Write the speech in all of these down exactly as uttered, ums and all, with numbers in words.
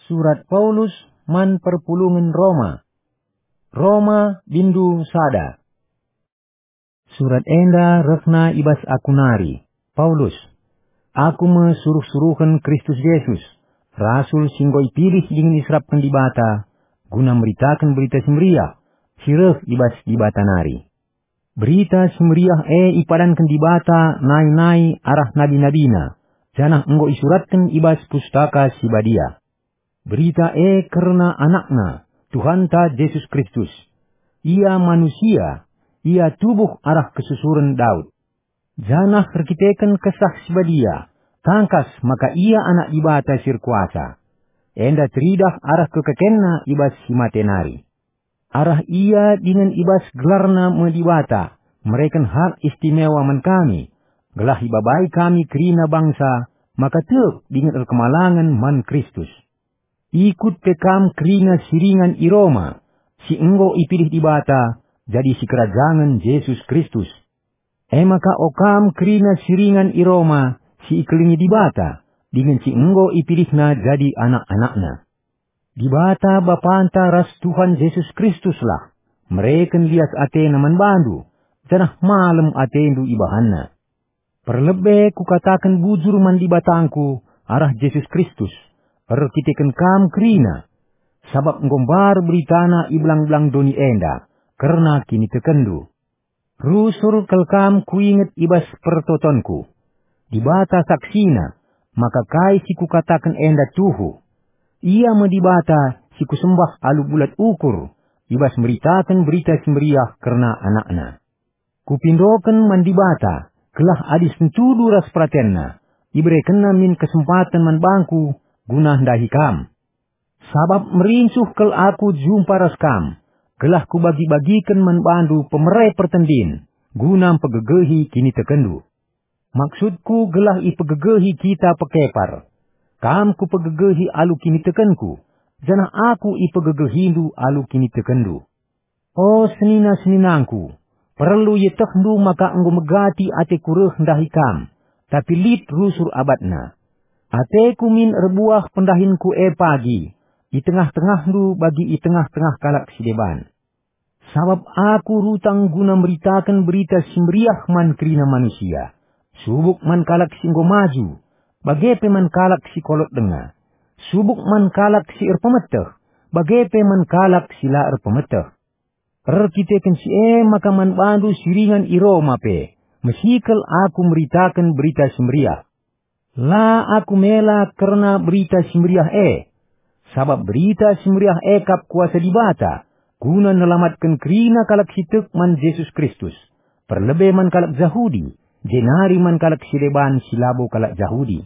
Surat Paulus man perpulungen Roma. Roma, bindu sada. Surat enda rehna i bas aku nari, Paulus. Aku me suruh-suruhen Kristus Jesus, rasul si enggo ipilih dingen iserapken Dibata, guna meritaken Berita Si Meriah, si reh i bas Dibata nari. Berita Si Meriah e ipadanken Dibata nai-nai arah nabi-nabiNa, janah enggo isuratken i bas Pustaka Si Badia. Berita e kerna AnakNa, Tuhanta Jesus Kristus. Ia manusia, ia tubuh arah kesusuren Daud. Janah erkiteken Kesah Si Badia, tangkas maka ia Anak Dibata si erkuasa. Enda teridah arah kekekenNa i bas si mate nari. Arah ia dingen i bas gelarna me Dibata mereken hak istimewa man kami, gelah ibabai kami kerina bangsa maka tek dingen erkemalangen man Kristus. Ikut pe kam kerina si ringan i Roma, si enggo ipilih Dibata jadi sikerajangen Jesus Kristus. E maka o kam kerina si ringan i Roma, si ikelengi Dibata, dingen si enggo ipilihNa jadi anak-anakNa. Dibata Bapanta ras Tuhan Jesus Kristuslah mereken lias ateNa man bandu, janah malem atendu ibahanNa. Perlebe kukataken bujur man Dibatangku arah Jesus Kristus, erkiteken kam kerina, sabap enggo mbar beritana i belang-belang doni enda kerna kinitekenndu. Rusur kal kam kuinget i bas pertotonku. Dibata saksina, maka kai si kukataken enda tuhu. Ia me Dibata si kusembah alu bulat ukur i bas meritaken Berita Si Meriah kerna AnakNa. Kupindoken man Dibata, gelah adi sentudu ras peratenNa, iberekenNa min kesempaten man bangku guna ndahi kam. Sabap merincuh kal aku jumpa ras kam, gelah kubagi-bagiken man bandu pemere pertendin, guna mpegegehi kinitekenndu. Maksudku gelah ipegegehi kita pekepar. Kam kupegegehi alu kinitekenku, janah aku ipegegehindu alu kinitekenndu. O senina-seninangku, perlu ietehndu maka enggo megati ateku reh ndahi kam, tapi lit rusur abatna. Ateku min erbuah pendahinku e pagi, i tengah-tengahndu bagi i tengah-tengah kalak si deban. Sabap aku rutang guna meritaken Berita Si Meriah man kerina manusia, subuk man kalak si enggo maju, bage pe man kalak si kolot denga, subuk man kalak si erpemeteh, bage pe man kalak si la erpemeteh. Erkiteken si e maka man bandu si ringan i Roma pe, mesikel aku meritaken Berita Si Meriah. La aku mela kerna Berita Si Meriah e, sabap Berita Si Meriah e kap kuasa Dibata, guna nelamatken kerina kalak si tek man Jesus Kristus, perlebe man kalak Jahudi, jenari man kalak si deban si labo kalak Jahudi.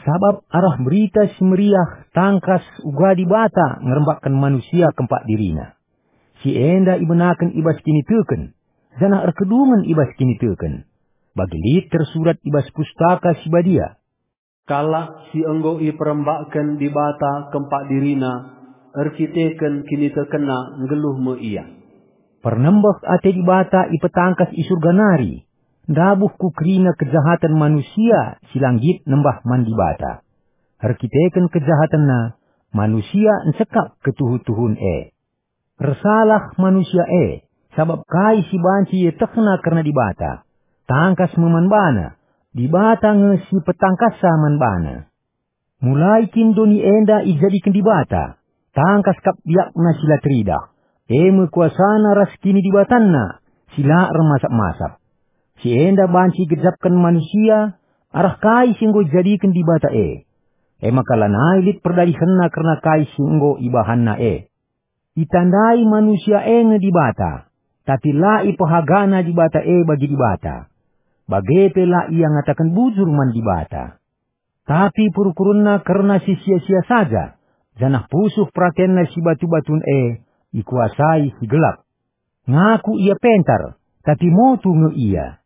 Sabap arah Berita Si Meriah tangkas uga Dibata ngerembakken manusia kempak diriNa. Si enda ibenaken i bas kiniteken, janah erkedungen i bas kiniteken. Bagi lit tersurat i bas Pustaka Si Badia, "Kalak si enggo iperembakken Dibata kempak diriNa, erkiteken kinitekenna nggeluh me ia." Pernembeh ate Dibata ipetangkas i Surga nari, ndabuh ku kerina kejahaten manusia si la nggit nembah man Dibata. Erkiteken kejahatenna, manusia nsekap ketuhu-tuhun e. Ersalah manusia e, sabap kai si banci ietehna kerna Dibata? Tangkas me man bana, Dibata nge si petangkasna man bana. Mulai kin doni enda ijadiken Dibata? Tangkas kap biakna si la teridah, e me kuasana ras kinidibatanna si la ermasap-masap. Si enda banci igejapken manusia arah kai si enggo ijadiken Dibata e. E maka lanai lit perdadihenna kerna kai si enggo ibahanna e. Itandai manusia e nge Dibata, tapi la ipehagana Dibata e bagi Dibata. Bage pe la ia ngataken bujur man Dibata. Tapi perukurenna kerna si sia-sia saja, janah pusuh peratenna si batu-batun e ikuasai si gelap. Ngaku ia pentar, tapi motu nge ia.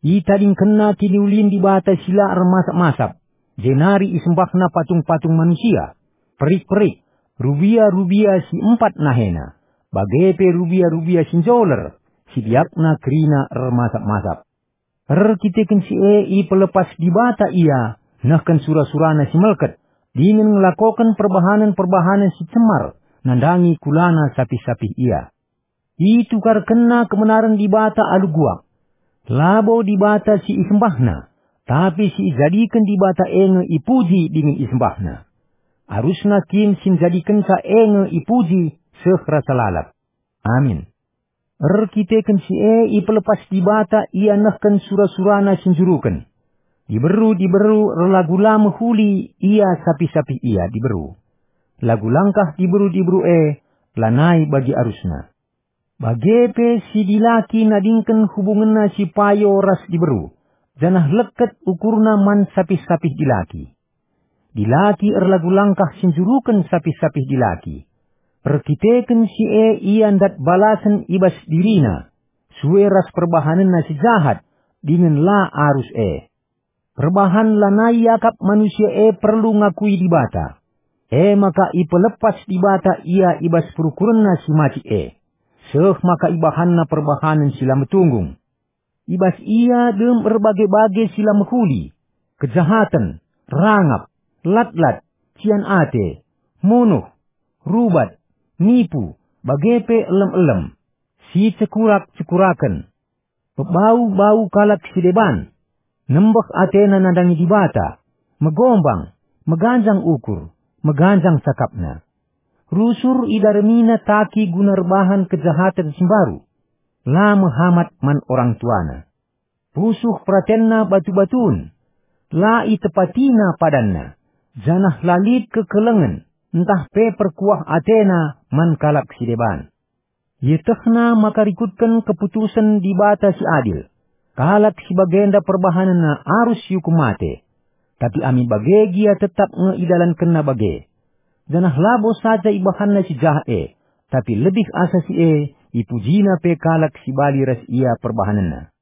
Itadingkenna kiniulin Dibata si la ermasap-masap, jenari isembahna patung-patung manusia, perik-perik, rubia-rubia si empat nahena, bage pe rubia-rubia si njoler, si biakna kerina ermasap-masap. Erkiteken si e ipelepas Dibata ia nehken sura-surana si melket, dingen ngelakoken perbahanen-perbahanen si cemar nandangi kulana sapih-sapih ia. Itukarkenna kebenaren Dibata alu guak. Labo Dibata si isembahna, tapi si ijadiken Dibata e nge ipuji dingen isembahna. Arusna kin si njadikenca e nge ipuji seh rasa lalap. Amin. Erkiteken si e ipelepas Dibata ia nehken sura-surana si njuruken. Diberu-diberu erlagu la mehuli ia sapih-sapih ia diberu. Lagu langkah diberu-diberu e lanai bagi arusna. Bage pe si dilaki nadingken hubungenna si payo ras diberu, janah leket ukurna man sapih-sapih dilaki. Dilaki erlagu langkah si njuruken sapih-sapih dilaki. Erkiteken si e ia ndat balasen i bas dirina, sue ras perbahanenna si jahat, dingen la arus e. Perbahan lanai iakap manusia e perlu ngakui Dibata. E maka ipelepas Dibata ia i bas perukurenna si macik e, seh maka ibahanna perbahanen si la metunggung. I bas ia dem erbage-bage si la mehuli, kejahaten, rangap, latlat, cian ate, munuh, rubat, nipu, bage pe elem-elem, si cekurak-cekuraken, pebau-bau kalak si deban, nembeh atena nandangi Dibata, megombang, meganjang ukur, meganjang cakapna. Rusur idaremina taki guna erbahan kejahaten si mbaru. La mehamat man orang tuana. Pusuh peratenna batu-batun. La itepatina padanna, janah la lit kekelengen, ntah pe perkuah atena man kalak si deban. Ietehna maka rikutken keputusen Dibata si adil. Kalak si bagenda perbahanenna arus iukum mate. Tapi ami bage gia tetap nge idalankenna bage. Janah labo saja ibahanna si jahat e, tapi lebih asa si e, ipujina pe kalak si bali ras ia perbahanenna.